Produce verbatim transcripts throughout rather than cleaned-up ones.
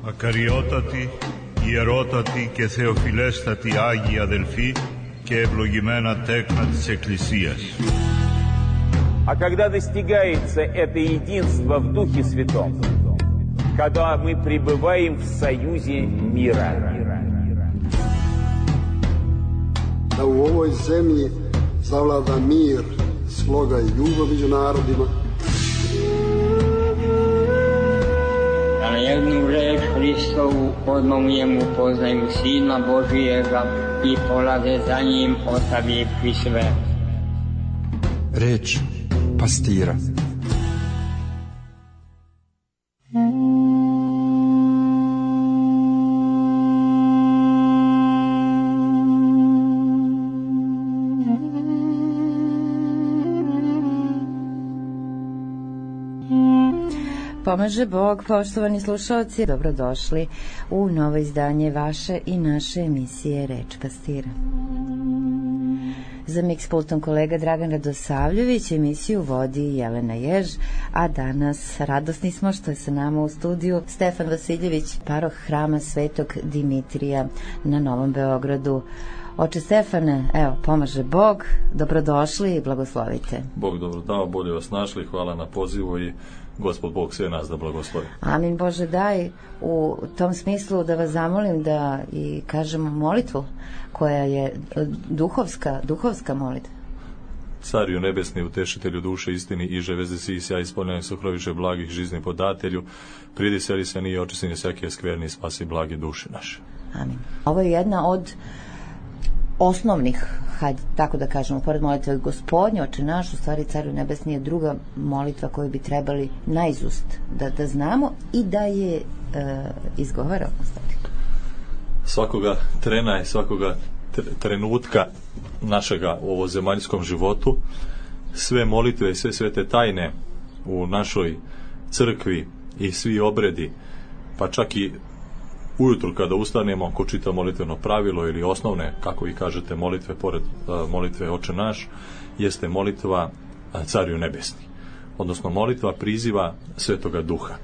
Ακαριότατη, ιερότατη και θεοφιλέστατη Άγιοι αδελφοί και ευλογημένα τέκνα της Εκκλησίας. А когда достигается это единство в Духе Святом, когда мы пребываем в союзе мира. Da u ovoj zemlji zavlada mir, sloga i ljubav među narodima. Da na jednu reč Hristovu odmah poznaju Sina Božijega i polaze za njim ostavivši sve. Reč pastira. Pomaže Bog, poštovani slušalci, dobrodošli u novo izdanje vaše i naše emisije Reč pastira. Za miks pultom kolega Dragan Radosavljević, emisiju vodi Jelena Jež, a danas radosni smo što je sa nama u studiju Stefan Vasiljević, paroh Hrama Svetog Dimitrija na Novom Beogradu. Oče Stefane, evo, pomaže Bog, dobrodošli i blagoslovite. Bog dobro dao, bolje vas našli, hvala na pozivu i Gospod Bog sve nas da blagoslovi. Amin. Bože, daj u tom smislu da vas zamolim da i kažemo molitvu koja je duhovska, duhovska molitva. Cariju nebesni, utešitelju duše istini, iže veze si i sja ispoljeni sokroviše blagih žizni podatelju, pridi seli se nije očistini svake skverni, spasi blagi duše naše. Amin. Ovo je jedna od osnovnih, hajde tako da kažemo, pored molitve Gospodnje, Oče naš, u stvari Cariju nebesni je druga molitva koju bi trebali naizust da, da znamo i da je e, izgovaramo. Svakoga trena i svakoga trenutka našega u ovozemaljskom životu, sve molitve i sve svete tajne u našoj crkvi i svi obredi, pa čak i ujutru kada ustanemo, ko čita molitveno pravilo ili osnovne, kako vi kažete, molitve pored uh, molitve Oče naš, jeste molitva uh, Cariju nebesni, odnosno molitva priziva Svetoga Duha.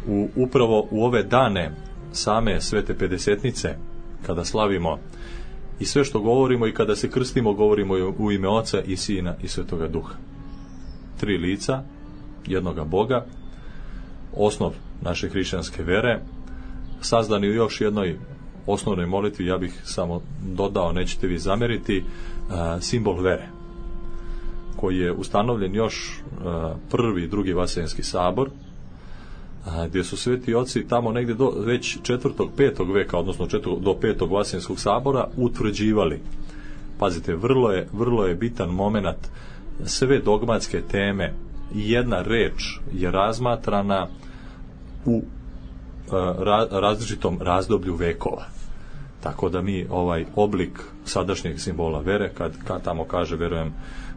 U, upravo u ove dane same Svete Pedesetnice, kada slavimo i sve što govorimo i kada se krstimo, govorimo u ime Oca i Sina i Svetoga Duha. Tri lica, jednoga Boga, osnov naše hrišćanske vere, sazdani u još jednoj osnovnoj molitvi, ja bih samo dodao, nećete vi zameriti, simbol vere, koji je ustanovljen još prvi i drugi Vaseljenski sabor, gdje su sveti oci tamo negdje do već četvrtog, petog veka, odnosno četvrtog do petog Vaseljenskog sabora utvrđivali. Pazite, vrlo je, vrlo je bitan moment, sve dogmatske teme i jedna reč je razmatrana u različitom razdoblju vekova. Tako da mi ovaj oblik sadašnjeg simbola vere, kad, kad tamo kaže verujem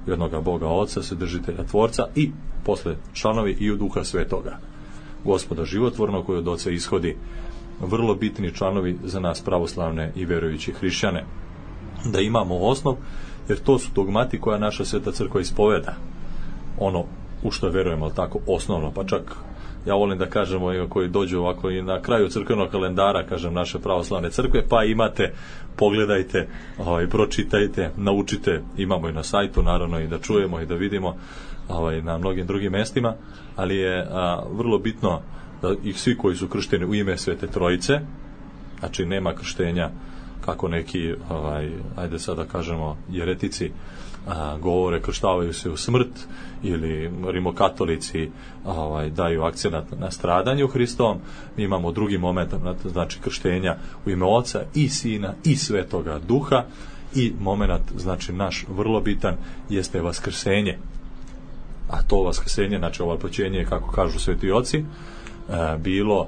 u jednoga Boga Oca, Svedržitelja Tvorca i posle članovi i u Duha Svetoga, Gospoda životvornog, koji od Oca ishodi, vrlo bitni članovi za nas pravoslavne i verujući hrišćane. Da imamo osnov, jer to su dogmati koja naša Sveta Crkva ispoveda. Ono u što verujemo, tako osnovno, pa čak ja volim da kažemo, koji dođu ovako i na kraju crkvenog kalendara, kažem, naše pravoslavne crkve, pa imate, pogledajte, ovaj, pročitajte, naučite, imamo i na sajtu, naravno, i da čujemo i da vidimo ovaj, na mnogim drugim mestima, ali je a, vrlo bitno da ih svi koji su kršteni u ime Svete Trojice, znači nema krštenja kako neki, ovaj, ajde sad da kažemo, jeretici a, govore, krštavaju se u smrt, ili rimokatolici ovaj, daju akcenat na stradanju Hristovom. Mi imamo drugi moment, znači krštenja u ime Oca i Sina i Svetoga Duha, i moment, znači naš vrlo bitan, jeste vaskrsenje. A to vaskrsenje, znači ovo počinjenje, kako kažu sveti oci, e, bilo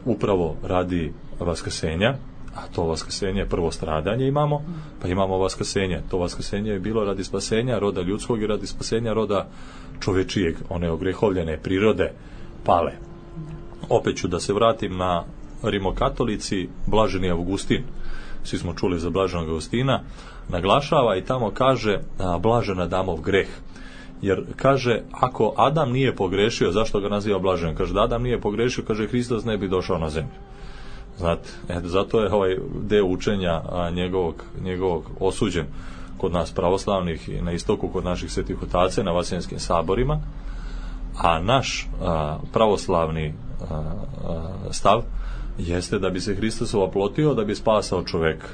upravo radi vaskrsenja, a to vaskrsenje, prvo stradanje imamo, pa imamo vaskrsenje. To vaskrsenje je bilo radi spasenja roda ljudskog i radi spasenja roda čovečijeg, one ogrehovljene prirode pale. Opet ću da se vratim na rimokatolici, blaženi Avgustin, svi smo čuli za blaženog Avgustina, naglašava i tamo kaže a, blažena damov greh, Jer kaže, ako Adam nije pogrešio, zašto ga naziva blaženim? Kaže, da Adam nije pogrešio, kaže, Hristos ne bi došao na zemlju. Znate, eto, zato je ovaj deo učenja a, njegovog, njegovog osuđen kod nas pravoslavnih i na istoku kod naših svetih otaca na Vaseljenskim saborima, a naš a, pravoslavni a, a, stav jeste da bi se Hristos oplotio, da bi spasao čoveka,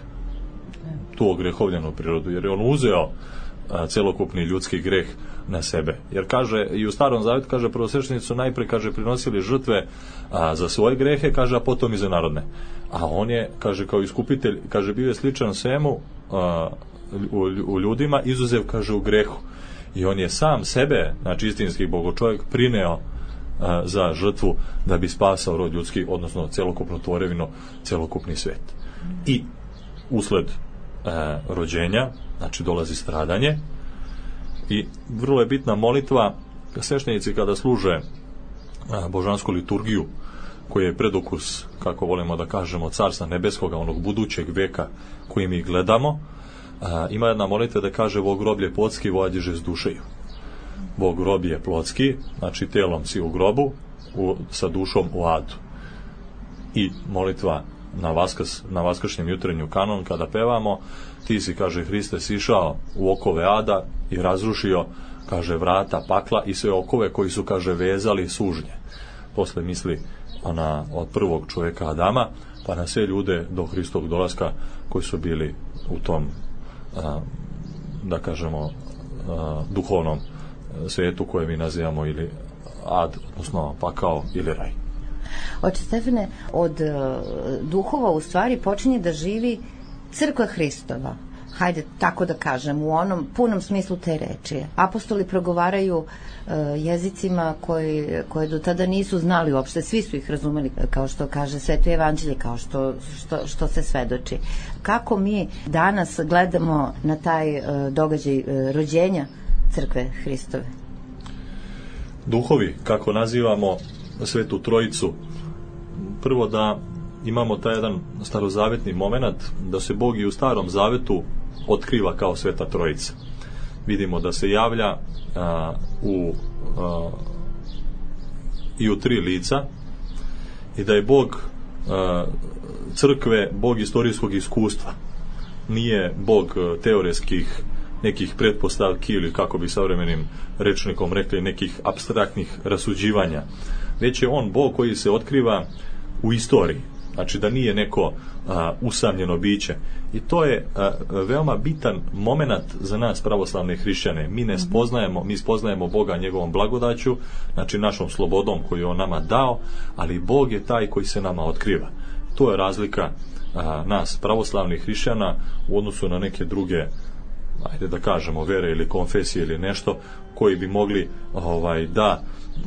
tu ogrehovljenu prirodu, jer je on uzeo a, celokupni ljudski greh na sebe. Jer kaže, i u Starom Zavetu kaže, prvosveštenici su najpre, kaže, prinosili žrtve a, za svoje grehe, kaže, a potom i za narodne. A on je, kaže, kao iskupitelj, kaže, bio je sličan svemu a, u, u ljudima, izuzev, kaže, u grehu. I on je sam sebe, znači istinski bogočovjek, prineo a, za žrtvu da bi spasao rod ljudski, odnosno celokupnu tvorevinu, celokupni svet. I usled a, rođenja, znači dolazi stradanje, i vrlo je bitna molitva. Sveštenici kada služe a, božansku liturgiju, koji je predokus, kako volimo da kažemo, Carstva nebeskoga, onog budućeg veka koji mi gledamo, a, ima jedna molitva da kaže: Vo groblje plotski, vođiže s dušeju. Vo grob je plotski, znači telom si u grobu, u, sa dušom u adu. I molitva na Vaskrs, na vaskršnjem jutrenju kanon, kada pevamo: Ti si, kaže, Hriste, sišao u okove ada i razrušio, kaže, vrata pakla i sve okove koji su, kaže, vezali sužnje. Posle misli ona od prvog čovjeka Adama pa na sve ljude do Hristovog dolaska koji su bili u tom a, da kažemo a, duhovnom svijetu koje mi nazivamo ili ad, odnosno pakao ili raj. Oče Stefane, od uh, duhova u stvari počinje da živi crkva Hristova, hajde tako da kažem, u onom punom smislu te reči. Apostoli progovaraju uh, jezicima koji, koje do tada nisu znali uopšte, svi su ih razumeli, kao što kaže Sveto evanđelje, kao što, što, što se svedoči. Kako mi danas gledamo na taj uh, događaj uh, rođenja crkve Hristove? Duhovi, kako nazivamo Svetu Trojicu, prvo da imamo taj jedan starozavetni moment da se Bog i u Starom Zavetu otkriva kao Sveta Trojica. Vidimo da se javlja a, u a, i u tri lica i da je Bog a, crkve Bog istorijskog iskustva. Nije Bog teoretskih nekih pretpostavki ili, kako bi savremenim rečnikom rekli, nekih apstraktnih rasuđivanja, već je on Bog koji se otkriva u istoriji. Znači da nije neko a, usamljeno biće. I to je a, veoma bitan moment za nas pravoslavne hrišćane. Mi ne spoznajemo, mi spoznajemo Boga njegovom blagodaću, znači našom slobodom koju je on nama dao, ali Bog je taj koji se nama otkriva. To je razlika a, nas pravoslavnih hrišćana u odnosu na neke druge, ajde da kažemo, vere ili konfesije ili nešto, koji bi mogli ovaj, da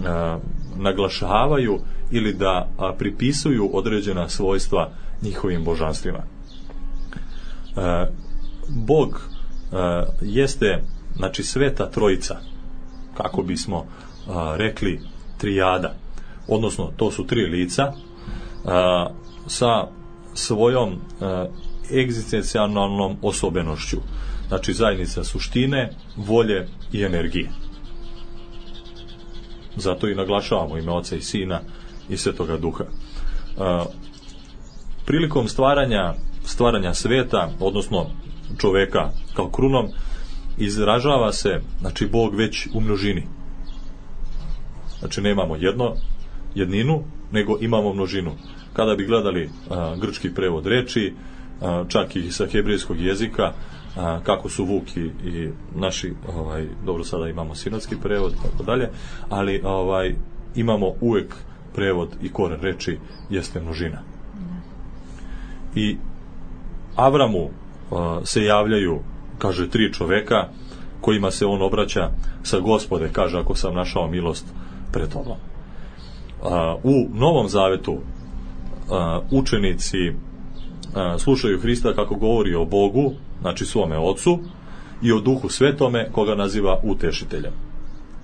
a, naglašavaju ili da a, pripisuju određena svojstva njihovim božanstvima. E, Bog e, jeste, znači, Sveta Trojica, kako bismo a, rekli trijada, odnosno to su tri lica a, sa svojom a, egzistencijalnom osobenošću, znači zajednica suštine, volje i energije. Zato i naglašavamo ime Oca i Sina i Svetoga Duha. E, prilikom stvaranja stvaranja sveta, odnosno čoveka kao krunom, izražava se, znači, Bog već u množini. Znači nemamo jedno, jedninu, nego imamo množinu. Kada bi gledali a, grčki prevod reči, a, čak i sa hebrejskog jezika, a, kako su Vuk i, i naši, ovaj, dobro, sada imamo sinodski prevod, tako dalje, ali ovaj, imamo uvek prevod i koren reči jeste množina. I Avramu uh, se javljaju, kaže, tri čoveka kojima se on obraća sa: Gospode, kaže, ako sam našao milost pred tobom. Uh, u Novom Zavetu uh, učenici uh, slušaju Hrista kako govori o Bogu, znači svome Ocu, i o Duhu Svetome koga naziva utešiteljem.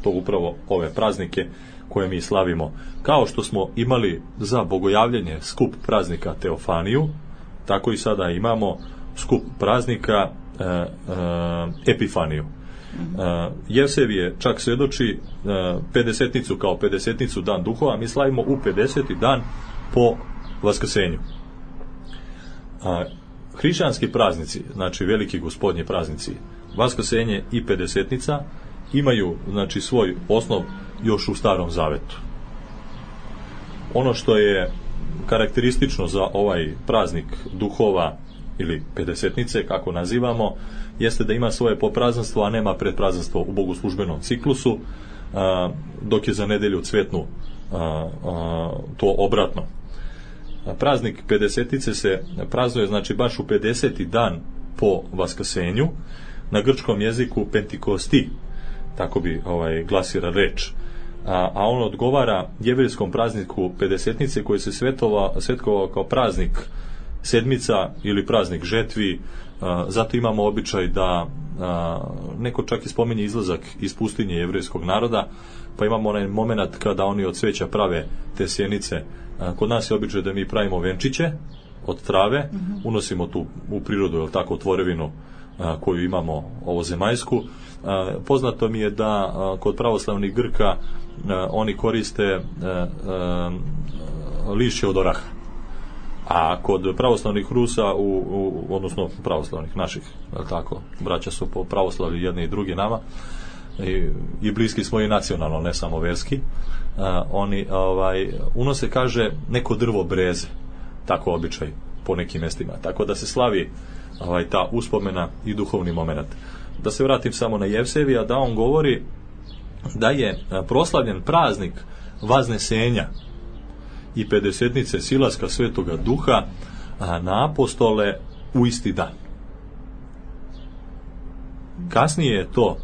To upravo ove praznike koje mi slavimo. Kao što smo imali za bogojavljenje skup praznika Teofaniju, tako i sada imamo skup praznika e, e, Epifaniju. Uh, Jevsevije čak svjedoči uh, pedesetnicu kao pedesetnicu dan duhova, mi slavimo u pedeseti dan po Vaskrsenju. Uh, hrišćanski praznici, znači veliki gospodnji praznici, Vaskrsenje i pedesetnica, imaju znači svoj osnov još u Starom Zavetu. Ono što je karakteristično za ovaj praznik duhova ili pedesetnice, kako nazivamo, jeste da ima svoje poprazanstvo, a nema predprazanstvo u bogoslužbenom ciklusu, a, dok je za nedelju cvetnu a, a, to obratno. A praznik pedesetice se praznuje znači baš u pedeseti dan po Vaskrsenju, na grčkom jeziku Pentikosti, tako bi ovaj glasira reč. A, a on odgovara jevrejskom prazniku pedesetnice koji se svetovao, svetkovao kao praznik sedmica ili praznik žetvi. A, zato imamo običaj da a, neko čak i spominje izlazak iz pustinje jevrejskog naroda, pa imamo onaj moment kada oni od cveća prave te sjenice. A, kod nas je običaj da mi pravimo venčiće od trave, mm-hmm. unosimo tu u prirodu, jel tako, tvorevinu a, koju imamo ovozemaljsku. A, poznato mi je da a, kod pravoslavnih Grka a, oni koriste a, a, lišće od oraha. A kod pravoslavnih Rusa, u, u, odnosno pravoslavnih naših, tako, braća su po pravoslavlju jedni i drugi nama, i, i bliski smo i nacionalno, ne samo verski, a, oni ovaj, unose, kaže, neko drvo breze, tako običaj po nekim mjestima, tako da se slavi ovaj, ta uspomena i duhovni moment. Da se vratim samo na Jevsevija, da on govori da je proslavljen praznik Vaznesenja i pedesetnice silaska Svetoga Duha a, na apostole u isti dan. Kasnije je to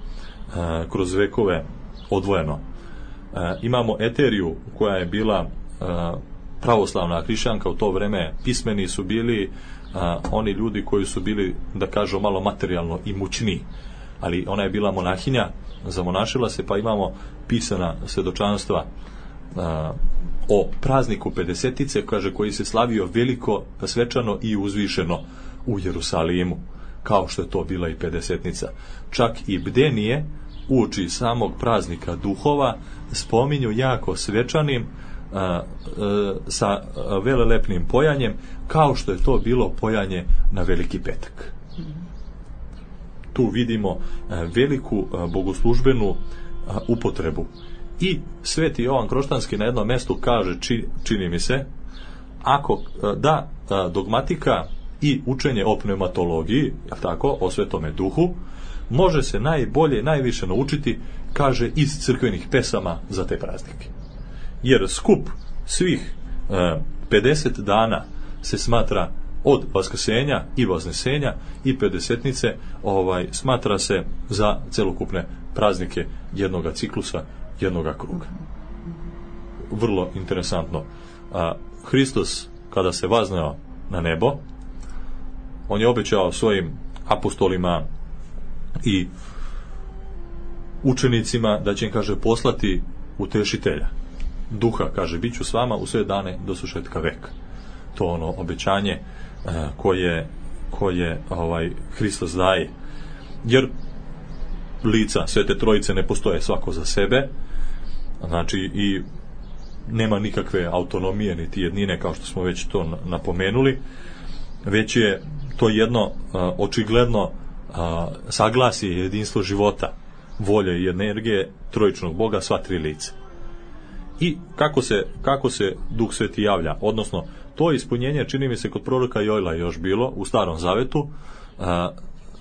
a, kroz vekove odvojeno. A, imamo Eteriju koja je bila a, pravoslavna hrišćanka u to vreme, pismeni su bili a, oni ljudi koji su bili, da kažu, malo materijalno imućniji, ali ona je bila monahinja, zamonašila se, pa imamo pisana svjedočanstva a, o prazniku pedesetice, kaže, koji se slavio veliko, svečano i uzvišeno u Jerusalimu, kao što je to bila i pedesetnica. Čak i bdenije uoči samog praznika duhova spominju jako svečanim a, a, sa velelepnim pojanjem, kao što je to bilo pojanje na Veliki petak. Tu vidimo a, veliku a, bogoslužbenu a, upotrebu. I Sveti Jovan Kroštanski na jednom mjestu kaže, či, čini mi se, ako da dogmatika i učenje o pneumatologiji, jel tako, o Svetome Duhu, može se najbolje, najviše naučiti, kaže, iz crkvenih pesama za te praznike. Jer skup svih e, pedeset dana se smatra od Vaskrsenja i Vaznesenja i pedesetnice, ovaj, smatra se za celokupne praznike jednoga ciklusa, jednoga kruga. Vrlo interesantno. A, Hristos, kada se vazneo na nebo, on je obećao svojim apostolima i učenicima da će im, kaže, poslati utešitelja. Duha, kaže, bit ću s vama u sve dane do svršetka veka. To ono obećanje a, koje, koje ovaj, Hristos daje. Jer lica Svete Trojice ne postoje svako za sebe, znači i nema nikakve autonomije niti jednine, kao što smo već to napomenuli, već je to jedno a, očigledno a, saglasje, jedinstvo života, volje i energije trojičnog Boga, sva tri lica. I kako se, kako se Duh Sveti javlja, odnosno to ispunjenje, čini mi se, kod proroka Jojla još bilo u Starom Zavetu, a,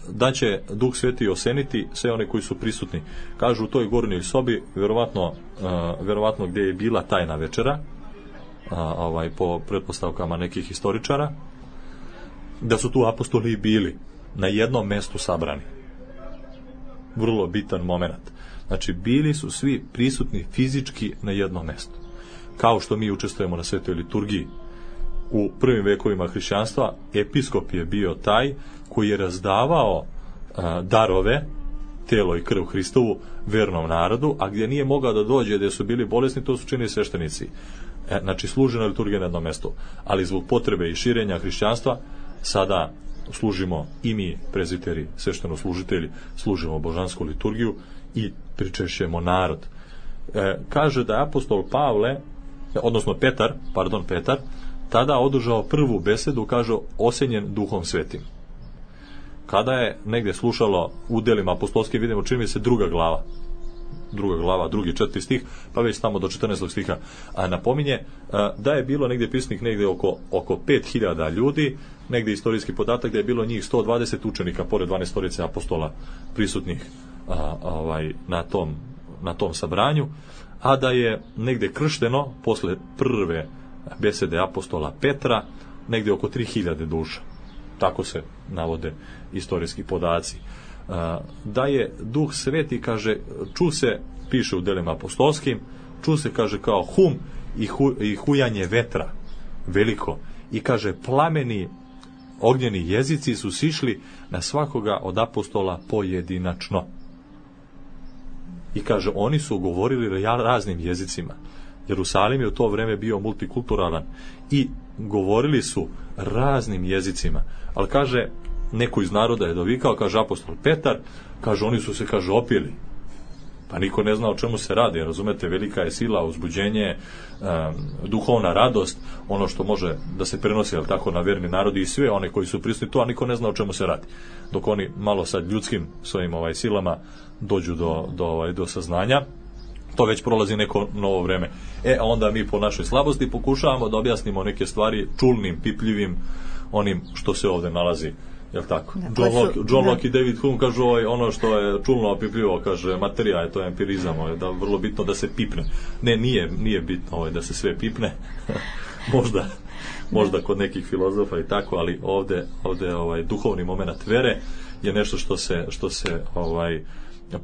da će Duh Sveti oseniti sve one koji su prisutni. Kažu u toj gornjoj sobi, vjerovatno, uh, vjerovatno gdje je bila tajna večera, uh, ovaj, po pretpostavkama nekih historičara, da su tu apostoli bili na jednom mjestu sabrani. Vrlo bitan moment. Znači, bili su svi prisutni fizički na jednom mjestu. Kao što mi učestvujemo na svetoj liturgiji. U prvim vekovima hrišćanstva episkop je bio taj koji je razdavao a, darove, telo i krv Hristovu, vernom narodu, a gdje nije mogao da dođe, gdje su bili bolesni, to su činili sveštenici. E, znači, služena liturgija na jednom mjestu. Ali zbog potrebe i širenja hrišćanstva, sada služimo i mi, prezbiteri, svešteno-služitelji, služimo božansku liturgiju i pričešćujemo narod. E, kaže da je apostol Pavle, odnosno Petar, pardon, Petar, tada održao prvu besedu, kaže, osenjen Duhom Svetim. Kada je negdje slušalo u delima apostolskim, vidimo, čini mi se druga glava, druga glava, drugi, četvrti stih, pa već tamo do četrnaestog stiha, a napominje a, da je bilo negdje pisnik negdje oko, oko pet hiljada ljudi, negdje istorijski podatak da je bilo njih sto dvadeset učenika, pored dvanaestorice apostola prisutnih a, a, ovaj, na, tom, na tom sabranju, a da je negdje kršteno, posle prve besede apostola Petra, negdje oko tri hiljade duša. Tako se navode istorijski podaci. Da je Duh Sveti, kaže, ču se, piše u delima apostolskim, ču se, kaže, kao hum i, hu, i hujanje vetra veliko, i kaže, plameni ognjeni jezici su sišli na svakoga od apostola pojedinačno. I kaže, oni su govorili raznim jezicima. Jerusalim je u to vreme bio multikulturalan i govorili su raznim jezicima. Ali kaže, neko iz naroda je dovikao, kaže apostol Petar, kaže, oni su se, kaže, opili. Pa niko ne zna o čemu se radi, razumete, velika je sila, uzbuđenje, um, duhovna radost, ono što može da se prenosi, ali tako, na verni narodi i sve one koji su prisutni tu, a niko ne zna o čemu se radi. Dok oni malo sad ljudskim svojim ovaj silama dođu do, do, ovaj, do saznanja, to već prolazi neko novo vreme. E, a onda mi po našoj slabosti pokušavamo da objasnimo neke stvari čulnim, pipljivim, onim što se ovdje nalazi. Jel tako? Da, John Locke, John Locke i David Hume kažu ovaj, ono što je čulno opipljivo, kaže, materija je, to je empirizam, ovaj, da vrlo bitno da se pipne. Ne, nije, nije bitno ovaj, da se sve pipne. možda, možda kod nekih filozofa i tako, ali ovdje, ovdje ovaj, duhovni moment vere je nešto što se, što se ovaj,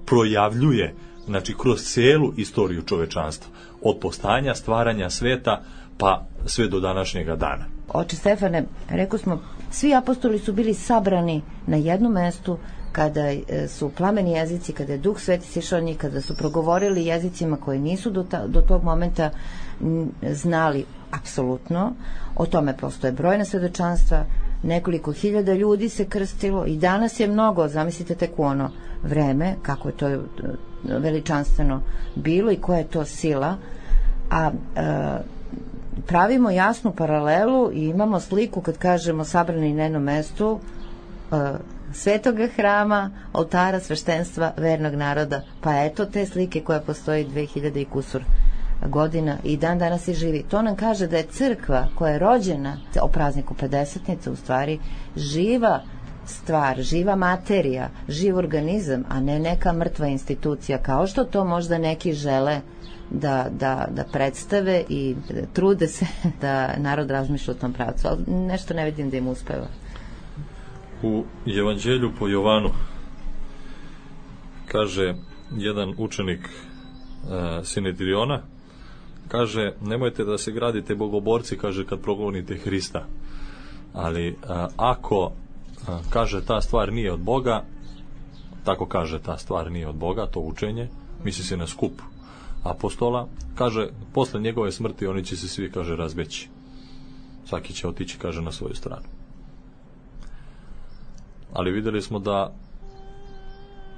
projavljuje, znači, kroz cijelu istoriju čovečanstva. Od postajanja, stvaranja sveta, pa sve do današnjega dana. Oče Stefane, rekao smo, svi apostoli su bili sabrani na jednom mestu kada su plameni jezici, kada je Duh Sveti sišao njih, kada su progovorili jezicima koji nisu do, ta, do tog momenta znali apsolutno. O tome postoje brojna svedočanstva, nekoliko hiljada ljudi se krstilo i danas je mnogo, zamislite tek u ono vreme, kako je to veličanstveno bilo i koja je to sila, a e, pravimo jasnu paralelu i imamo sliku kad kažemo sabrani na jednom mestu e, svetoga hrama, oltara, sveštenstva, vernog naroda. Pa eto te slike koja postoji dve hiljade i kusur godina i dan danas i živi. To nam kaže da je crkva koja je rođena o prazniku pedesetnice u stvari živa stvar, živa materija, živ organizam, a ne neka mrtva institucija, kao što to možda neki žele da, da, da predstave i trude se da narod razmišlja u tom pravcu, ali nešto ne vidim da im uspeva. U Evanđelju po Jovanu kaže jedan učenik uh, Sinedriona, kaže, nemojte da se gradite bogoborci, kaže, kad progonite Hrista, ali uh, ako uh, kaže ta stvar nije od Boga, tako kaže ta stvar nije od Boga, to učenje, misli se na skup apostola, kaže, posle njegove smrti oni će se svi, kaže, razbeći, svaki će otići, kaže, na svoju stranu. Ali vidjeli smo da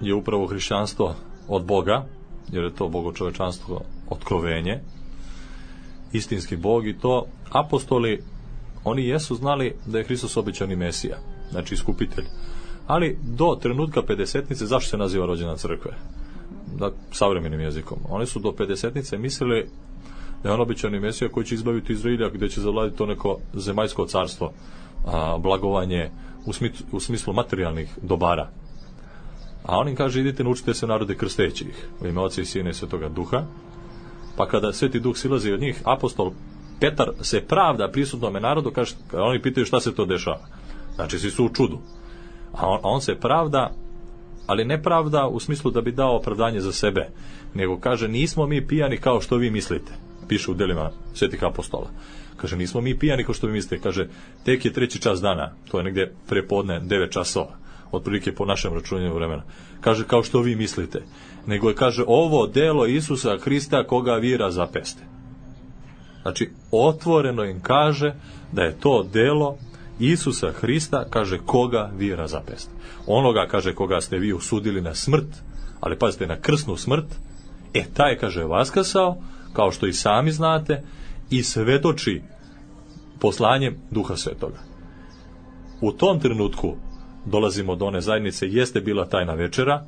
je upravo hrišćanstvo od Boga, jer je to bogočovečanstvo otkrovenje, istinski Bog, i to apostoli, oni jesu znali da je Hristos obećani Mesija, znači iskupitelj. Ali do trenutka pedesetnice, zašto se naziva rođena crkve? Da, savremenim jezikom. Oni su do pedesetnice mislili da je on obećani Mesija koji će izbaviti Izraelja, gdje će zavladiti to neko zemaljsko carstvo, a, blagovanje u, smislu, u smislu materijalnih dobara. A on im kaže, idite, naučite se narode krsteći ih u ime Oca i Sina i Svetoga Duha. Pa kada Sveti Duh silazi od njih, apostol Petar se pravda prisutnome narodu, kaže, oni pitaju šta se to dešava. Znači, svi su u čudu. A on, a on se pravda, ali ne pravda u smislu da bi dao opravdanje za sebe, nego kaže, nismo mi pijani kao što vi mislite. Piše u delima Svetih apostola. Kaže, nismo mi pijani kao što vi mislite. Kaže, tek je treći čas dana, to je negdje prepodne devet časova, otprilike po našem računanju vremena. Kaže, kao što vi mislite. Nego je, kaže, ovo delo Isusa Hrista koga vi razapeste. Znači, otvoreno im kaže da je to delo Isusa Hrista, kaže, koga vi razapeste. Onoga, kaže, koga ste vi osudili na smrt, ali pazite, na krsnu smrt, e, taj, kaže, vaskrsao, kao što i sami znate, i svetoči poslanjem Duha Svetoga. U tom trenutku dolazimo do one zajednice, jeste bila tajna večera,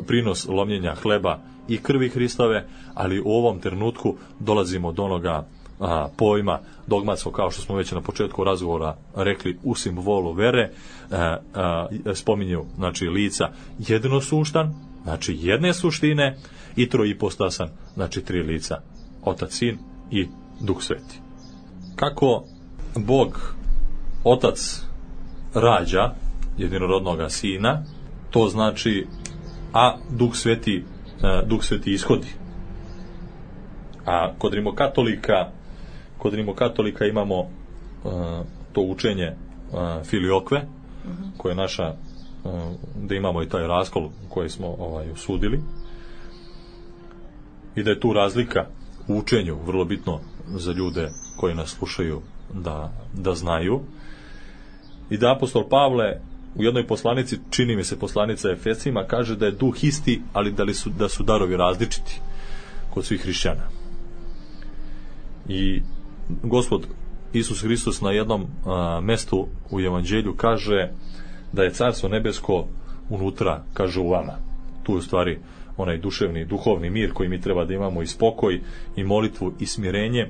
prinos lomljenja hleba i krvi Hristove, ali u ovom trenutku dolazimo do onoga a, pojma dogmatskog, kao što smo već na početku razgovora rekli, u simbolu vere, a, a, spominju, znači, lica jednosuštan, znači jedne suštine, i troipostasan, znači tri lica, Otac, Sin i Duh Sveti. Kako Bog Otac rađa jedinorodnoga Sina, to znači, a Duh Sveti, Duh Sveti ishodi. A kod rimokatolika, kod rimokatolika imamo uh, to učenje uh, filiokve, uh-huh. koje je naša, uh, da imamo i taj raskol koji smo ovaj, usudili, i da je tu razlika u učenju vrlo bitno za ljude koji nas slušaju da, da znaju, i da apostol Pavle u jednoj poslanici, čini mi se poslanica Efesima, kaže da je duh isti, ali da, li su, da su darovi različiti kod svih hrišćana. I Gospod Isus Hristos na jednom a, mestu u Evanđelju kaže da je Carstvo nebesko unutra, kaže, u vama. Tu je u stvari onaj duševni, duhovni mir koji mi treba da imamo, i spokoj, i molitvu, i smirenje,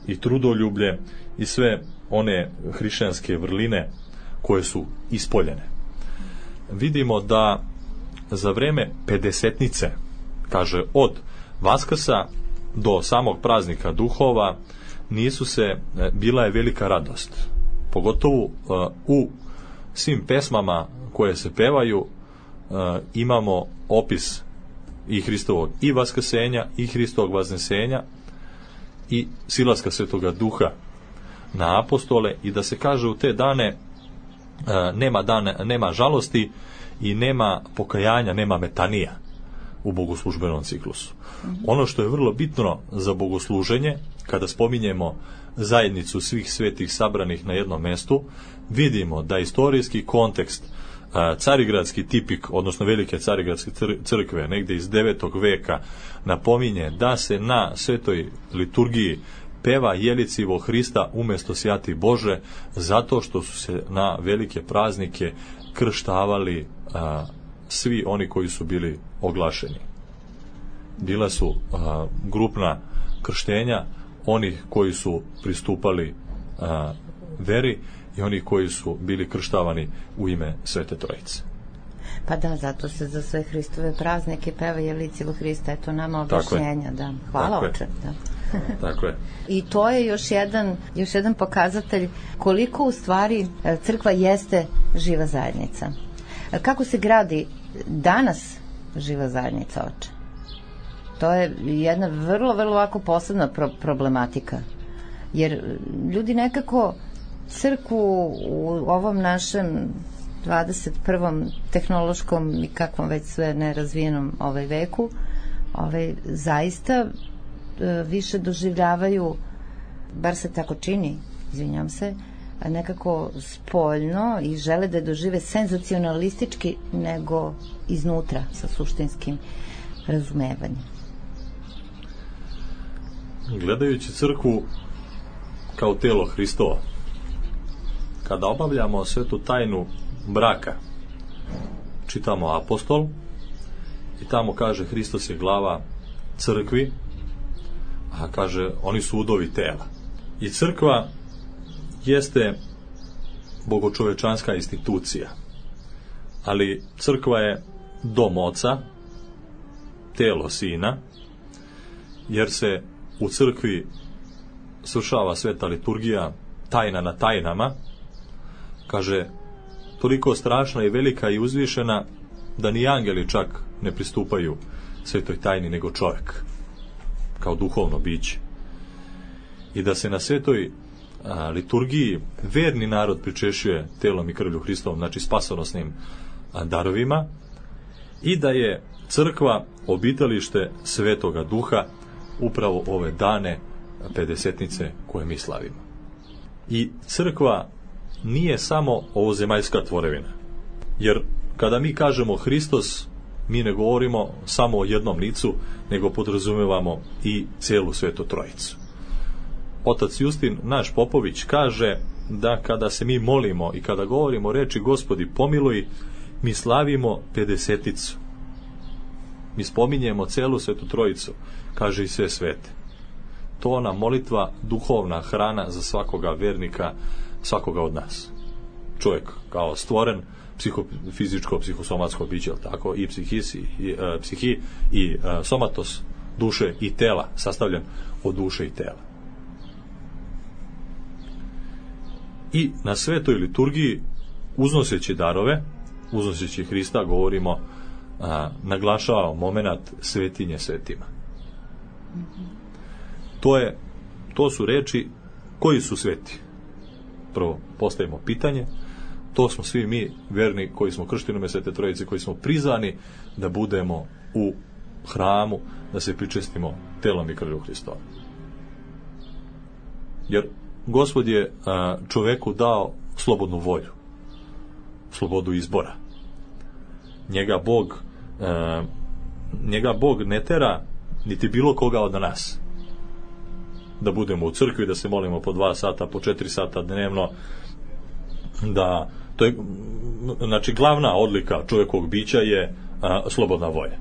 i trudoljublje, i sve one hrišćanske vrline koje su ispoljene. Vidimo da za vreme Pedesetnice, kaže, od Vaskrsa do samog praznika duhova, nisu se, bila je velika radost. Pogotovo uh, u svim pesmama koje se pevaju uh, imamo opis i Hristovog i vaskrsenja, i Hristovog vaznesenja, i silaska Svetoga Duha na apostole, i da se kaže u te dane uh, nema, dane, nema žalosti i nema pokajanja, nema metanija u bogoslužbenom ciklusu. Ono što je vrlo bitno za bogosluženje, kada spominjemo zajednicu svih svetih sabranih na jednom mestu, vidimo da istorijski kontekst, carigradski tipik, odnosno velike carigradske crkve, negdje iz devetog veka, napominje da se na svetoj liturgiji peva Jelicivo Hrista umjesto Sjati Bože, zato što su se na velike praznike krštavali a, svi oni koji su bili oglašeni. Bila su a, grupna krštenja onih koji su pristupali a, veri i oni koji su bili krštavani u ime Svete Trojice. Pa da, zato se za sve Hristove praznike peva Jelicivo Hrista, eto nama objašnjenja, da. Hvala, oče. Da. Tako je. I to je još jedan, još jedan pokazatelj koliko u stvari crkva jeste živa zajednica. Kako se gradi danas živa zajednica, oče? To je jedna vrlo, vrlo ovako posebna pro- problematika. Jer ljudi nekako crkvu u ovom našem dvadeset prvom tehnološkom i kakvom već sve nerazvijenom ovaj veku, ovaj, zaista e, više doživljavaju, bar se tako čini, izvinjam se, nekako spoljno i žele da je dožive senzacionalistički nego iznutra sa suštinskim razumevanjem. Gledajući crkvu kao telo Hristova, kada obavljamo svetu tajnu braka, čitamo apostol i tamo kaže Hristos je glava crkvi, a kaže oni su udovi tela. I crkva jeste bogočovečanska institucija, ali crkva je dom Oca, telo Sina, jer se u crkvi svršava sveta liturgija, tajna na tajnama, kaže, toliko strašna i velika i uzvišena da ni angeli čak ne pristupaju svetoj tajni nego čovjek kao duhovno biće. I da se na svetoj a, liturgiji verni narod pričešuje telom i krvlju Hristovom, znači spasonosnim a, darovima, i da je crkva obitalište Svetoga Duha upravo ove dane Pedesetnice koje mi slavimo. I crkva nije samo ovozemaljska tvorevina. Jer kada mi kažemo Hristos, mi ne govorimo samo o jednom licu, nego podrazumevamo i celu Svetu Trojicu. Otac Justin, naš Popović, kaže da kada se mi molimo i kada govorimo reči Gospodi pomiluj, mi slavimo pedeseticu. Mi spominjemo celu Svetu Trojicu, kaže i sve svete. To nam molitva duhovna hrana za svakoga vernika, svakoga od nas. Čovjek kao stvoren, psihofizičko, psihosomatsko biće, tako, i psihisi, i, uh, psihi, i uh, somatos, duše i tela, sastavljen od duše i tela. I na svetoj liturgiji, uznoseći darove, uznoseći Hrista, govorimo, a, naglašavamo moment svetinje svetima. To je, to su reči koji su sveti. Prvo postavimo pitanje, to smo svi mi verni koji smo kršteni u ime Svete Trojice, koji smo prizvani da budemo u hramu, da se pričestimo telom i krvlju Hristova. Jer Gospod je a, čoveku dao slobodnu volju, slobodu izbora. Njega Bog a, njega Bog ne tera niti bilo koga od nas da budemo u crkvi, da se molimo po dva sata, po četiri sata dnevno, da to je, znači glavna odlika čovjekovog bića je a, slobodna volja.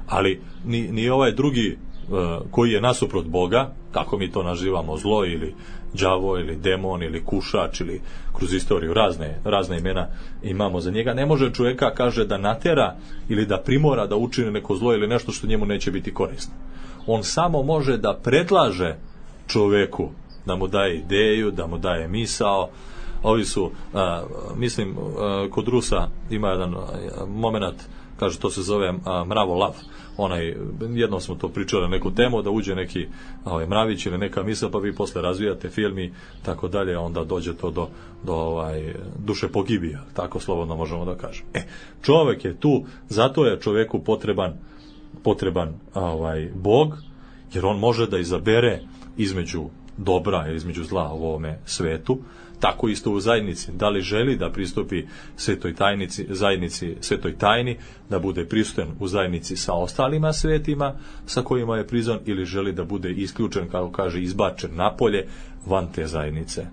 Ali ni, ni ovaj drugi a, koji je nasuprot Boga, kako mi to nazivamo, zlo ili đavo ili demon ili kušač ili kroz istoriju razne, razne imena imamo za njega, ne može čovjeka, kaže, da natera ili da primora da učini neko zlo ili nešto što njemu neće biti korisno. On samo može da predlaže čovjeku, da mu daje ideju, da mu daje misao. Ovi su, a, mislim, a, kod Rusa ima jedan moment, kaže, to se zove a, mravo lav. Onaj, jednom smo to pričali na neku temu, da uđe neki ovaj, mravić ili neka misla, pa vi posle razvijate film i tako dalje, onda dođe to do, do ovaj, duše pogibija, tako slobodno možemo da kažemo. E, čovjek je tu, zato je čovjeku potreban potreban ovaj, Bog, jer on može da izabere između dobra ili između zla u ovome svetu. Tako isto u zajednici, da li želi da pristupi svetoj tajnici, zajednici svetoj tajni, da bude prisutan u zajednici sa ostalima svetima sa kojima je prizvan, ili želi da bude isključen, kako kaže, izbačen napolje van te zajednice.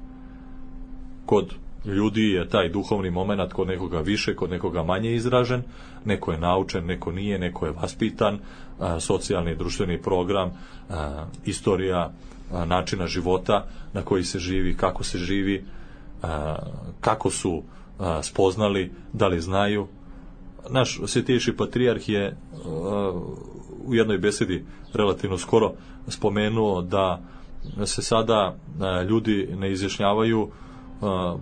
Kod ljudi je taj duhovni moment kod nekoga više, kod nekoga manje izražen, neko je naučen, neko nije, neko je vaspitan, a, socijalni i društveni program, a, istorija a, načina života na koji se živi, kako se živi, a, kako su a, spoznali, da li znaju. Naš svetejši patrijarh je a, u jednoj besedi relativno skoro spomenuo da se sada a, ljudi ne izjašnjavaju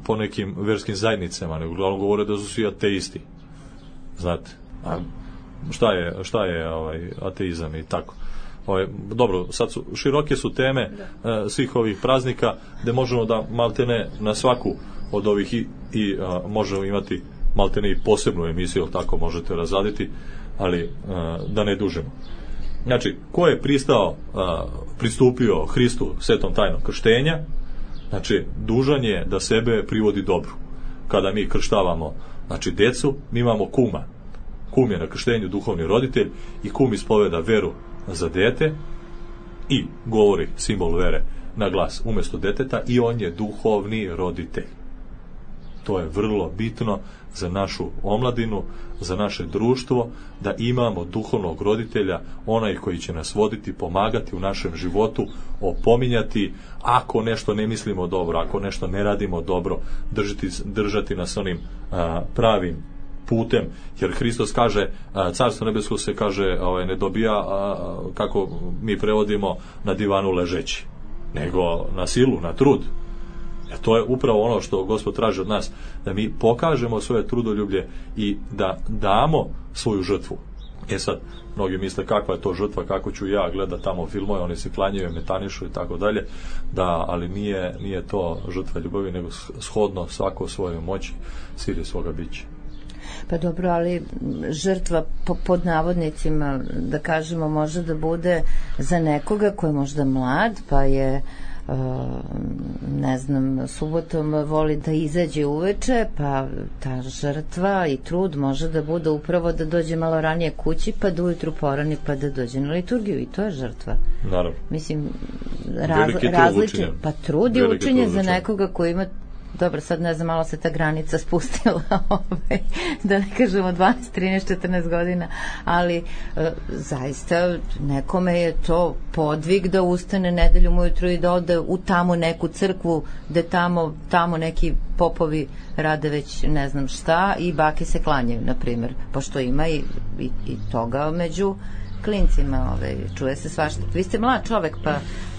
po nekim verskim zajednicama, nego uglavnom govore da su svi ateisti. Znate, a šta je, šta je ovaj, ateizam i tako. Ovaj, dobro, sad su, široke su teme e, svih ovih praznika, gde možemo da maltene na svaku od ovih i, i a, možemo imati maltene i posebnu emisiju, tako možete razraditi, ali a, da ne dužemo. Znači, ko je pristao, a, pristupio Hristu svetom tajnom krštenja, znači, dužan je da sebe privodi dobru. Kada mi krštavamo, znači, decu, mi imamo kuma. Kum je na krštenju duhovni roditelj i kum ispoveda veru za dete i govori simbol vere na glas umjesto deteta i on je duhovni roditelj. To je vrlo bitno za našu omladinu, za naše društvo, da imamo duhovnog roditelja, onaj koji će nas voditi, pomagati u našem životu, opominjati ako nešto ne mislimo dobro, ako nešto ne radimo dobro, držati, držati nas onim a, pravim putem, jer Hristos kaže, a, carstvo nebesko se kaže, ovaj, ne dobija, a, kako mi prevodimo, na divanu ležeći, nego na silu, na trud. E to je upravo ono što Gospod traži od nas, da mi pokažemo svoje trudoljublje i da damo svoju žrtvu. E sad, mnogi misle kakva je to žrtva, kako ću ja gledati tamo filmove, oni se klanjaju, metanišu i tako dalje, da, ali nije, nije to žrtva ljubavi, nego shodno svako svojoj moći, sili svoga bića. Pa dobro, ali žrtva po, pod navodnicima, da kažemo, može da bude za nekoga koji je možda mlad, pa je ne znam, subotom voli da izađe uveče, pa ta žrtva i trud može da bude upravo da dođe malo ranije kući, pa da ujutru porani, pa da dođe na liturgiju, i to je žrtva. Naravno. Mislim, raz, različit, pa trud je učenje za nekoga koji ima, dobro, sad ne znam, malo se ta granica spustila, ovaj, da ne kažemo dvanaest, trinaest, četrnaest godina, ali e, zaista nekome je to podvig da ustane nedeljom ujutru i da ode u tamo neku crkvu, da tamo, tamo neki popovi rade već ne znam šta i bake se klanjaju, na primjer, pošto ima i, i, i toga među klincima, ovaj, čuje se svašta. Vi ste mlad čovek, pa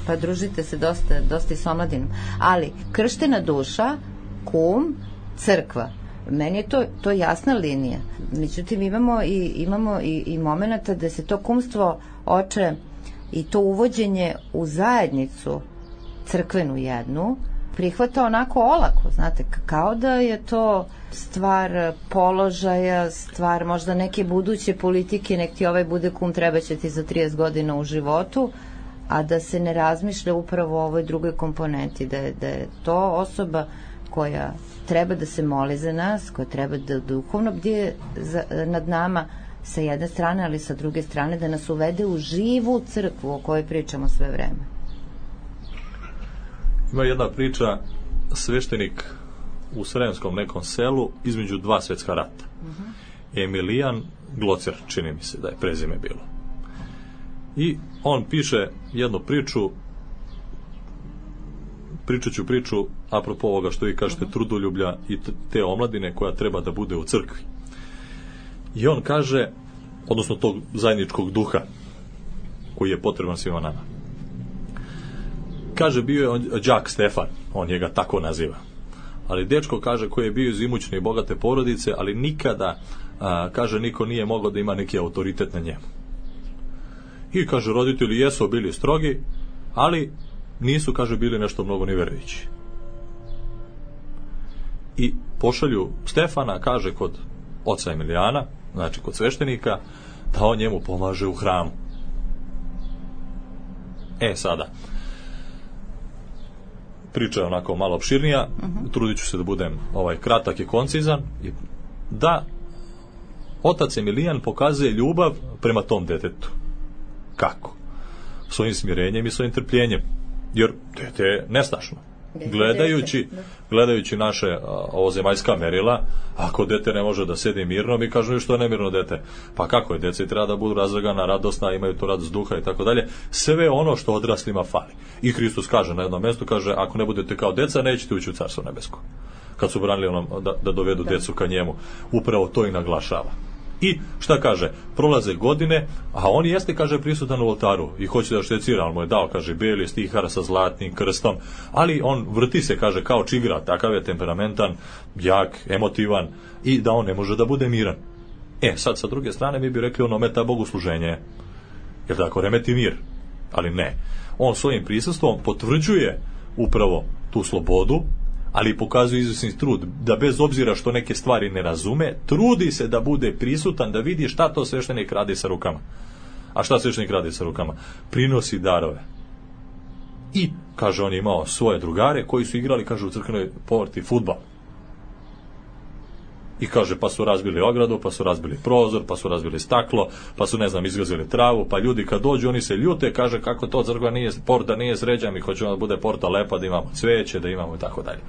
pa družite se dosta, dosta i s omladinom. Ali, krštena duša, kum, crkva. Meni je to, to jasna linija. Međutim, imamo i, imamo i, i momenata da se to kumstvo oče i to uvođenje u zajednicu crkvenu jednu prihvata onako olako, znate, kao da je to stvar položaja, stvar možda neke buduće politike, nek ti ovaj bude kum, treba će ti za trideset godina u životu, a da se ne razmišlja upravo o ovoj drugoj komponenti, da je, da je to osoba koja treba da se moli za nas, koja treba da duhovno bdije za, nad nama sa jedne strane, ali sa druge strane da nas uvede u živu crkvu o kojoj pričamo sve vreme. Ima jedna priča, sveštenik u sremskom nekom selu između dva svetska rata. Uh-huh. Emilijan Glocer, čini mi se da je prezime bilo. I on piše jednu priču, pričat ću priču apropo ovoga što vi kažete, trudoljublja i te omladine koja treba da bude u crkvi. I on kaže, odnosno tog zajedničkog duha koji je potreban svima nama. Kaže, bio je on, đak Stefan, on njega tako naziva. Ali dečko, kaže, koji je bio iz imućne i bogate porodice, ali nikada, a, kaže, niko nije mogao da ima neki autoritet na njemu. I, kaže, roditelji jesu bili strogi, ali nisu, kaže, bili nešto mnogo ni verujući. I pošalju Stefana, kaže, kod oca Emilijana, znači kod sveštenika, da on njemu pomaže u hramu. E, sada, priča je onako malo opširnija, uh-huh. Trudit ću se da budem ovaj, kratak i koncizan, da otac Emilijan pokazuje ljubav prema tom detetu. Kako? Svojim smirenjem i svojim trpljenjem. Jer dete je nestašno. Gledajući, gledajući naše ovozemaljska merila, ako dete ne može da sedi mirno, mi kažemo što je nemirno dete. Pa kako je, dece treba da budu razlagana, radosna, imaju tu radost duha i tako dalje. Sve ono što odraslima fali. I Hristos kaže na jednom mjestu, kaže, ako ne budete kao deca, nećete ući u carstvo nebesko. Kad su branili onom da, da dovedu da. decu ka njemu, upravo to i naglašava. I šta kaže, prolaze godine, a on jeste, kaže, prisutan u oltaru i hoće da štecira, on mu je dao, kaže, beli stihara sa zlatnim krstom, ali on vrti se, kaže, kao čigra, takav je temperamentan, jak, emotivan i da on ne može da bude miran. E, sad sa druge strane mi bi rekli, ono meta bogosluženje, jer tako remeti mir, ali ne. On svojim prisustvom potvrđuje upravo tu slobodu, ali pokazuje izvesni trud, da bez obzira što neke stvari ne razume, trudi se da bude prisutan, da vidi šta to sveštenik radi sa rukama. A šta sveštenik radi sa rukama? Prinosi darove. I, kaže, on je imao svoje drugare koji su igrali, kaže, u crkvenoj povrti fudbal. I kaže, pa su razbili ogradu, pa su razbili prozor, pa su razbili staklo, pa su, ne znam, izgazili travu, pa ljudi kad dođu, oni se ljute, kaže, kako to crkva nije, porta nije sređa, mi hoćemo da bude porta lepa, da imamo cveće, da imamo i tako dalje.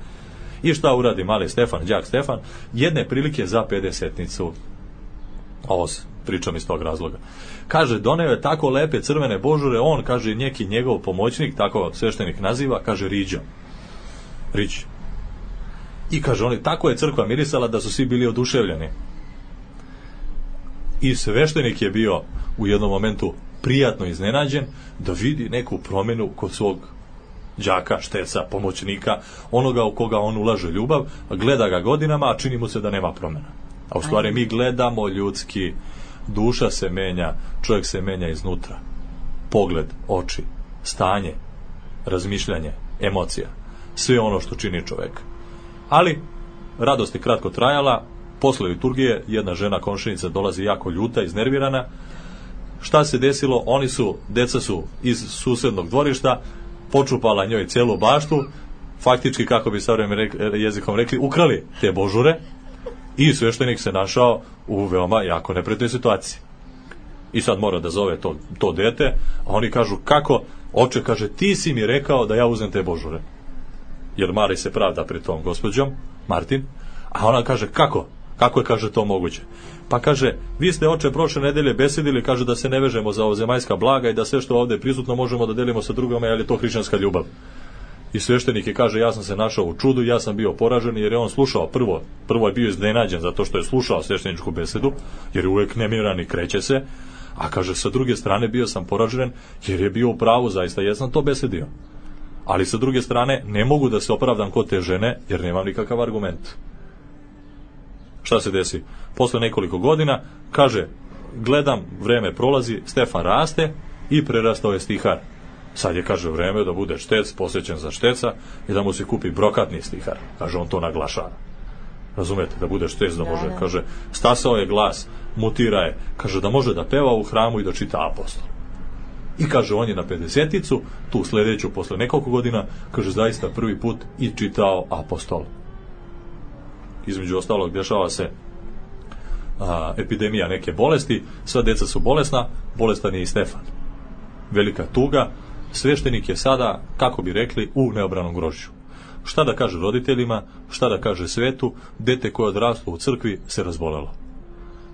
I šta uradi mali Stefan, đak Stefan? Jedne prilike za pedesetnicu. Ovo pričam iz tog razloga. Kaže, doneo je tako lepe crvene božure, on, kaže, neki njegov pomoćnik, tako sveštenik naziva, kaže, Riđo. Riđ. I kaže, oni, tako je crkva mirisala da su svi bili oduševljeni. I sveštenik je bio u jednom momentu prijatno iznenađen da vidi neku promjenu kod svog đaka, šteca, pomoćnika, onoga u koga on ulaže ljubav, gleda ga godinama, a čini mu se da nema promjena. A u stvari mi gledamo ljudski, duša se menja, čovjek se menja iznutra. Pogled, oči, stanje, razmišljanje, emocija, sve ono što čini čovjeka. Ali, radost je kratko trajala, posle liturgije jedna žena komšinica dolazi jako ljuta, iznervirana. Šta se desilo? Oni su, deca su iz susednog dvorišta, počupala njoj celu baštu, faktički, kako bi savremenim jezikom rekli, ukrali te božure i sveštenik se našao u veoma jako neprijatnoj situaciji. I sad mora da zove to, to dete, a oni kažu, kako? Oče, kaže, ti si mi rekao da ja uzem te božure. Jer Mari se pravda pred tom gospođom, Martin, a ona kaže, kako? Kako je, kaže, to moguće? Pa kaže, vi ste, oče, prošle nedelje besedili, kaže, da se ne vežemo za ovozemaljska blaga i da sve što ovdje je prisutno možemo da delimo sa drugama, jer je to hrišćanska ljubav. I sveštenik je, kaže, ja sam se našao u čudu, ja sam bio poražen, jer je on slušao, prvo, prvo je bio iznenađen zato što je slušao svešteničku besedu, jer je uvek nemiran i kreće se, a kaže, sa druge strane bio sam poražen, jer je bio u pravu, zaista jesam to besedio. Ali sa druge strane, ne mogu da se opravdam kod te žene, jer nemam nikakav argument. Šta se desi? Posle nekoliko godina, kaže, gledam, vreme prolazi, Stefan raste i prerastao je stihar. Sad je, kaže, vreme da bude štec, posvećen za šteca i da mu se kupi brokatni stihar. Kaže, on to naglašava. Razumete, da bude štec, da može, kaže, stasao je glas, mutira je, kaže, da može da peva u hramu i da čita apostol. I kaže, on je na pedeseticu, tu sljedeću, posle nekoliko godina, kaže, zaista prvi put i čitao apostol. Između ostalog, dešava se a, epidemija neke bolesti, sva deca su bolesna, bolestan je i Stefan. Velika tuga, sveštenik je sada, kako bi rekli, u neobranom grožđu. Šta da kaže roditeljima, šta da kaže svetu, dete koje je odraslo u crkvi se razbolelo.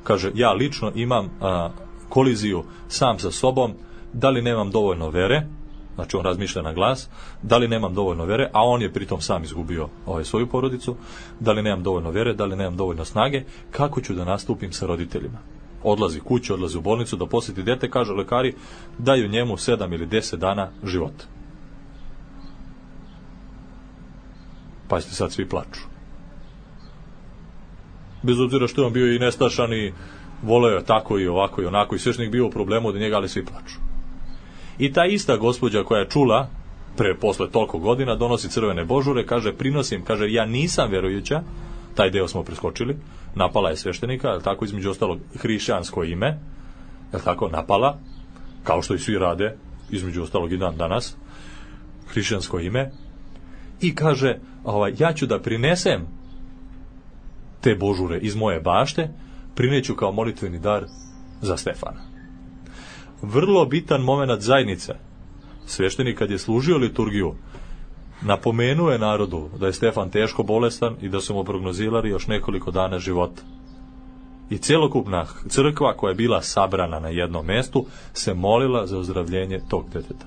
Kaže, ja lično imam a, koliziju sam sa sobom, da li nemam dovoljno vere, znači on razmišlja na glas, da li nemam dovoljno vere, a on je pritom sam izgubio ovaj, svoju porodicu, da li nemam dovoljno vere, da li nemam dovoljno snage, kako ću da nastupim sa roditeljima. Odlazi kući, odlazi u bolnicu da posjeti dete, kaže, lekari daju njemu sedam ili deset dana života. Pazite, sad svi plaču. Bez obzira što je on bio i nestašan i voleo je tako i ovako i onako i sveštenik bio u problemu od njega, ali svi plaču. I ta ista gospođa koja je čula pre posle toliko godina donosi crvene božure, kaže, prinosim, kaže, ja nisam vjerujuća, taj deo smo preskočili, napala je sveštenika, je tako, između ostalog hrišćansko ime, je tako, napala, kao što i svi rade, između ostalog i dan danas, hrišćansko ime, i kaže, ovaj, ja ću da prinesem te božure iz moje bašte, prineću kao molitveni dar za Stefana. Vrlo bitan moment zajednice. Sveštenik kad je služio liturgiju, napomenuo je narodu da je Stefan teško bolestan i da su mu prognozirali još nekoliko dana života. I celokupna crkva koja je bila sabrana na jednom mestu se molila za ozdravljenje tog deteta.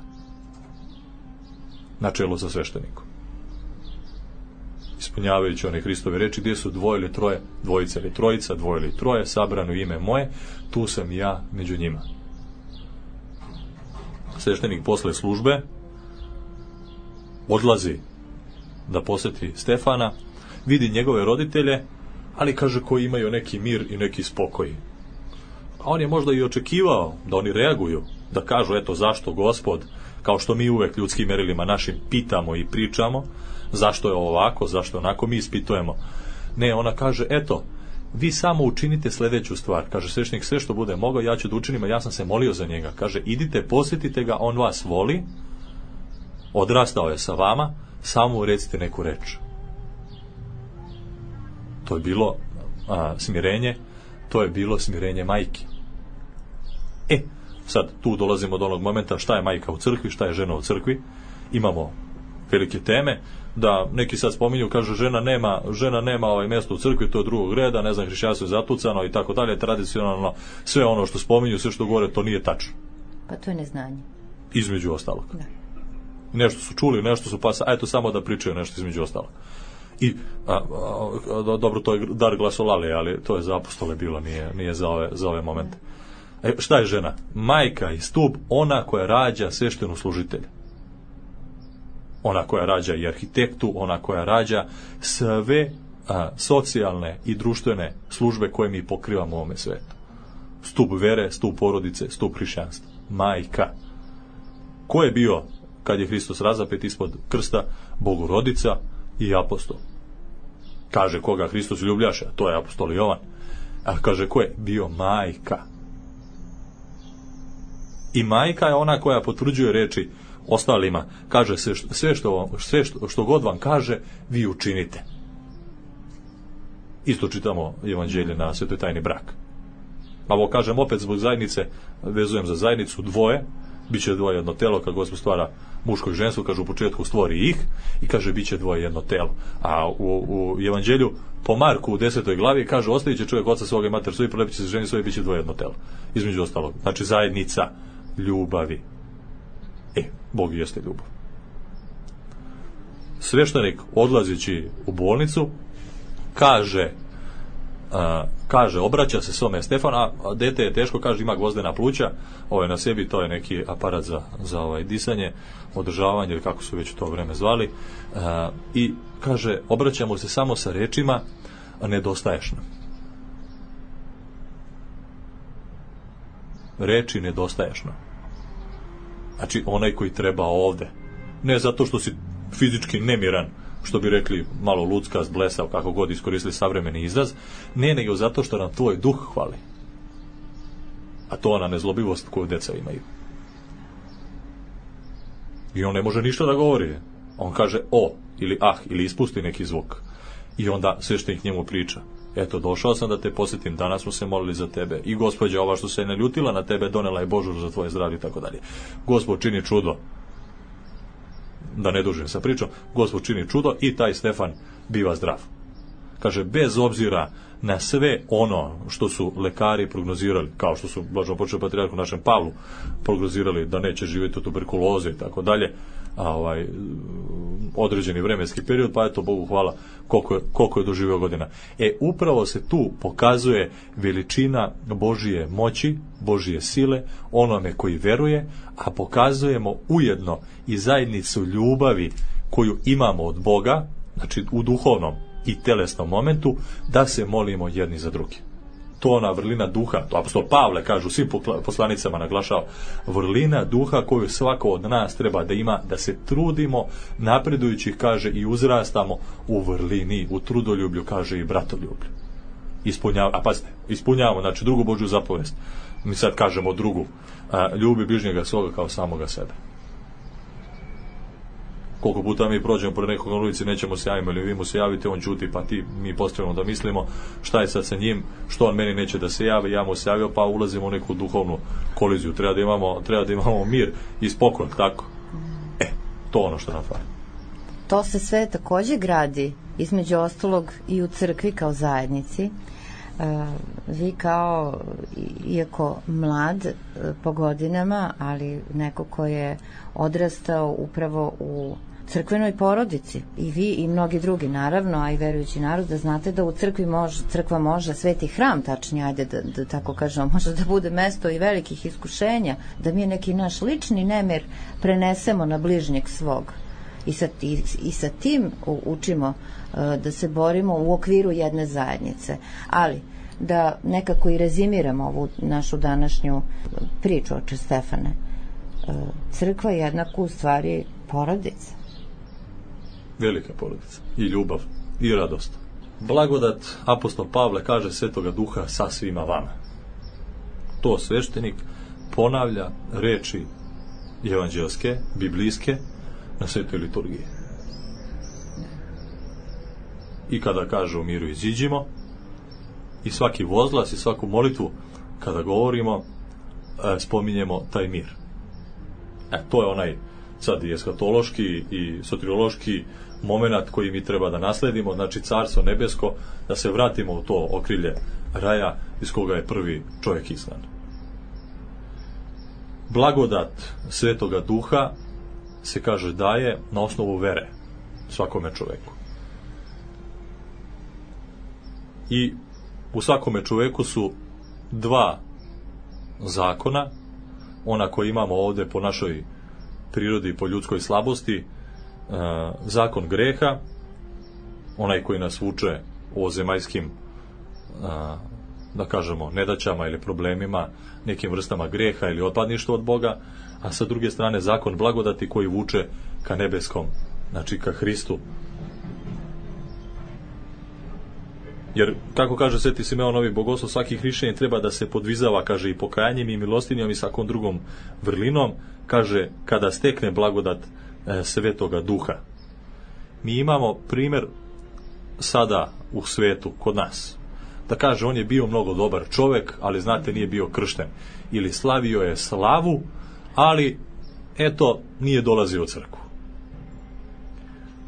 Na čelu sa sveštenikom. Ispunjavajući one Hristove reči, gdje su dvoje ili troje, dvojica ili trojica, dvoje ili troje, sabrano ime moje, tu sam ja među njima. Sveštenik posle službe odlazi da posjeti Stefana, vidi njegove roditelje, ali kaže, koji imaju neki mir i neki spokoj. A on je možda i očekivao da oni reaguju, da kažu, eto, zašto Gospod, kao što mi uvek ljudskim merilima našim pitamo i pričamo, zašto je ovako, zašto onako, mi ispitujemo. Ne, ona kaže, eto, vi samo učinite sljedeću stvar. Kaže sveštenik, sve što bude mogao, ja ću da učinim, a ja sam se molio za njega. Kaže, idite, posjetite ga, on vas voli, odrastao je sa vama, samo mu recite neku reč. To je bilo a, smirenje, to je bilo smirenje majke. E, sad tu dolazimo do onog momenta šta je majka u crkvi, šta je žena u crkvi. Imamo velike teme, da neki sad spominju, kaže, žena nema, žena nema ovaj mjesto u crkvi, to je drugog reda, ne znam, hrišćanstvo je zatucano i tako dalje, tradicionalno, sve ono što spominju, sve što govore, to nije tačno. Pa to je neznanje. Između ostalog. Da. Nešto su čuli, nešto su pa, a eto samo da pričaju nešto između ostalog. I, a, a, a, dobro, to je dar glasolali, ali to je za apostole bilo, nije, nije za ove, za ove momente. E, šta je žena? Majka i stup, ona koja rađa sveštenu služitelja. Ona koja rađa i arhitektu, ona koja rađa sve a, socijalne i društvene službe koje mi pokrivamo u ovome svetu. Stup vere, stup porodice, stup hrišćanstva. Majka. Ko je bio, kad je Hristos razapet ispod krsta? Bogorodica i apostol. Kaže, koga Hristos ljubljaše? To je apostol Jovan. A kaže, ko je? Bio majka. I majka je ona koja potvrđuje reči ostalima, kaže se sve što, sve što, što god vam kaže, vi učinite. Isto čitamo evanđelje na svetoj tajni brak. A ovo kažem opet zbog zajednice, vezujem za zajednicu, dvoje, bit će dvoje jedno telo, kad Gospod stvara muško i žensko, kaže u početku stvori ih i kaže bit će dvoje jedno telo. A u, u evanđelju po Marku u desetoj glavi kaže ostavit će čovjek oca svoga i mater svoju, prolepit će se ženi svoje, bit će dvoje jedno telo. Između ostalog, znači zajednica ljubavi. E, Bog jeste ljubav. Sveštenik odlazeći u bolnicu kaže a, kaže, obraća se svome Stefanu, a dete je teško, kaže ima gvozdena pluća, ovaj na sebi, to je neki aparat za, za ovaj disanje, održavanje, ili kako su već u to vreme zvali, a, i kaže, obraćamo se samo sa rečima, a nedostaješ nam. Reči nedostaješ nam. Znači, onaj koji treba ovde. Ne zato što si fizički nemiran, što bi rekli malo luckast, blesav, kako god iskoristili savremeni izraz, ne, nego zato što nam tvoj duh hvali. A to ona nezlobivost koju deca imaju. I on ne može ništa da govori. On kaže o, ili ah, ili ispusti neki zvuk. I onda sveštenik njemu priča. Eto, došao sam da te posjetim, danas smo se molili za tebe. I gospođa ova što se ne ljutila na tebe, donela je Božur za tvoje zdravlje i tako dalje. Gospod čini čudo. Da ne dužim sa pričom, Gospod čini čudo i taj Stefan biva zdrav. Kaže, bez obzira na sve ono što su lekari prognozirali, kao što su blaženopočivši patrijarh u našem Pavlu prognozirali da neće živjeti od tuberkuloze i tako dalje, a ovaj određeni vremenski period, pa eto, Bogu hvala koliko je, koliko je doživio godina. E, upravo se tu pokazuje veličina Božije moći, Božije sile, onome koji veruje, a pokazujemo ujedno i zajednicu ljubavi koju imamo od Boga, znači u duhovnom i telesnom momentu, da se molimo jedni za drugi. To ona vrlina duha, to apostol Pavle kaže u svim poslanicama naglašava, vrlina duha koju svako od nas treba da ima, da se trudimo napredujući, kaže, i uzrastamo u vrlini, u trudoljublju, kaže, i bratoljublju. Ispunjavamo, a pazite, ispunjavamo, znači drugu Božju zapovest. Mi sad kažemo drugu, a, ljubi bližnjega svoga kao samoga sebe. Koliko puta mi prođemo pored nekog na ulici, nećemo se javiti, ili vi mu se javite, on ćuti, pa ti, mi postavimo da mislimo šta je sad sa njim, što on meni neće da se javi, ja mu se javio, pa ulazimo u neku duhovnu koliziju. Treba da imamo, treba da imamo mir i spokoj, tako? E, to ono što nam fali. To se sve takođe gradi, između ostalog i u crkvi kao zajednici. Uh, vi kao, iako mlad uh, po godinama, ali neko ko je odrastao upravo u crkvenoj porodici, i vi i mnogi drugi naravno, a i verujući narod, da znate da u crkvi može, crkva može, sveti hram tačnije, ajde da, da tako kažemo, može da bude mesto i velikih iskušenja, da mi neki naš lični nemir prenesemo na bližnjeg svog. I sa, i, i sa tim učimo uh, da se borimo u okviru jedne zajednice. Ali, da nekako i rezimiramo ovu našu današnju priču, oče Stefane, uh, crkva je jednako u stvari porodica. Velika porodica. I ljubav, i radost. Blagodat, apostol Pavle kaže, Svetoga Duha sa svima vama. To sveštenik ponavlja reči evanđelske, biblijske, na svetoj liturgiji. I kada kaže u miru iziđimo, i svaki vozglas i svaku molitvu kada govorimo, e, spominjemo taj mir. E, to je onaj sad i eskatološki i soteriološki moment koji mi treba da nasledimo, znači carstvo nebesko, da se vratimo u to okrilje raja iz koga je prvi čovjek izgnan. Blagodat Svetoga Duha se kaže daje na osnovu vere svakome čoveku. I u svakome čoveku su dva zakona, ona koji imamo ovde po našoj prirodi i po ljudskoj slabosti, e, zakon greha, onaj koji nas vuče o zemaljskim, e, da kažemo, nedaćama ili problemima, nekim vrstama greha ili otpadništva od Boga, a sa druge strane zakon blagodati koji vuče ka nebeskom, znači ka Hristu. Jer, kako kaže Sveti Simeon Novi Bogoslov, svaki hrišćanin treba da se podvizava, kaže, i pokajanjem i milostinjom i svakom drugom vrlinom, kaže, kada stekne blagodat e, Svetoga Duha. Mi imamo primjer sada u svetu, kod nas, da kaže, on je bio mnogo dobar čovjek, ali znate, nije bio kršten. Ili slavio je slavu, ali, eto, nije dolazio u crkvu.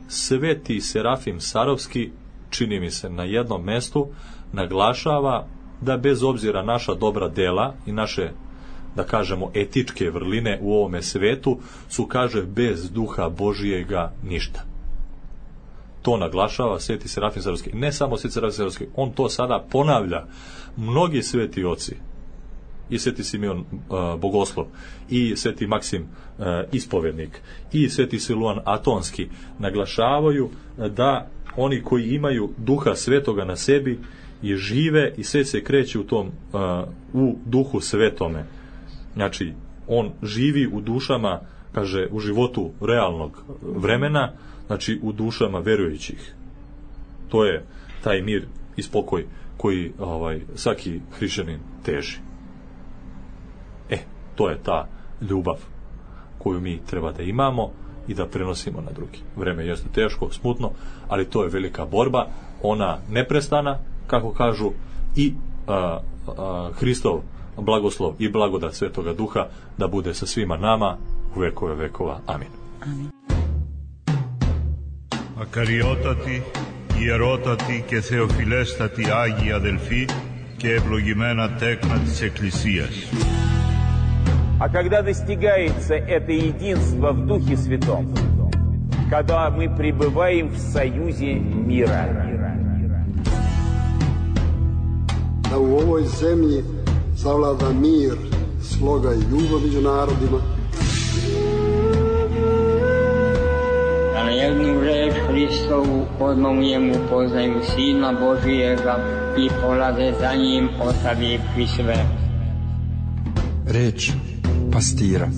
Sveti Serafim Sarovski, čini mi se, na jednom mestu naglašava da bez obzira naša dobra dela i naše, da kažemo, etičke vrline u ovome svetu su, kaže, bez duha Božijega ništa. To naglašava Sveti Serafim Sarovski. Ne samo Sveti Serafim Sarovski, on to sada ponavlja. Mnogi sveti oci, i Sveti Simeon uh, Bogoslov, i Sveti Maksim uh, Ispovednik, i Sveti Siluan Atonski naglašavaju da oni koji imaju duha svetoga na sebi i žive i sve se kreće u tom uh, u duhu svetome. Znači, on živi u dušama, kaže, u životu realnog vremena, znači u dušama verujućih. To je taj mir i spokoj koji ovaj, svaki hrišćanin teži. E, to je ta ljubav koju mi treba da imamo i da prenosimo na drugi. Vreme jeste teško, smutno, ali to je velika borba, ona neprestana, kako kažu, i a, a, Hristov blagoslov i blagodat Svetoga Duha da bude sa svima nama u vekove vekova. Amin. Amin. Ακαριότατοι, ιερότατοι και θεοφιλέστατοι Άγιοι αδελφοί και ευλογημένα τέκνα της Εκκλησίας. А когда достигается это единство в Духе Святом, когда мы пребываем в союзе мира. Da u ovoj zemlji zavlada mir, sloga i ljubav među narodima. Da na jednu reč Hristovu odmah poznaju Sina Božijega i polaze za njim ostavivši sve. Reč pastira.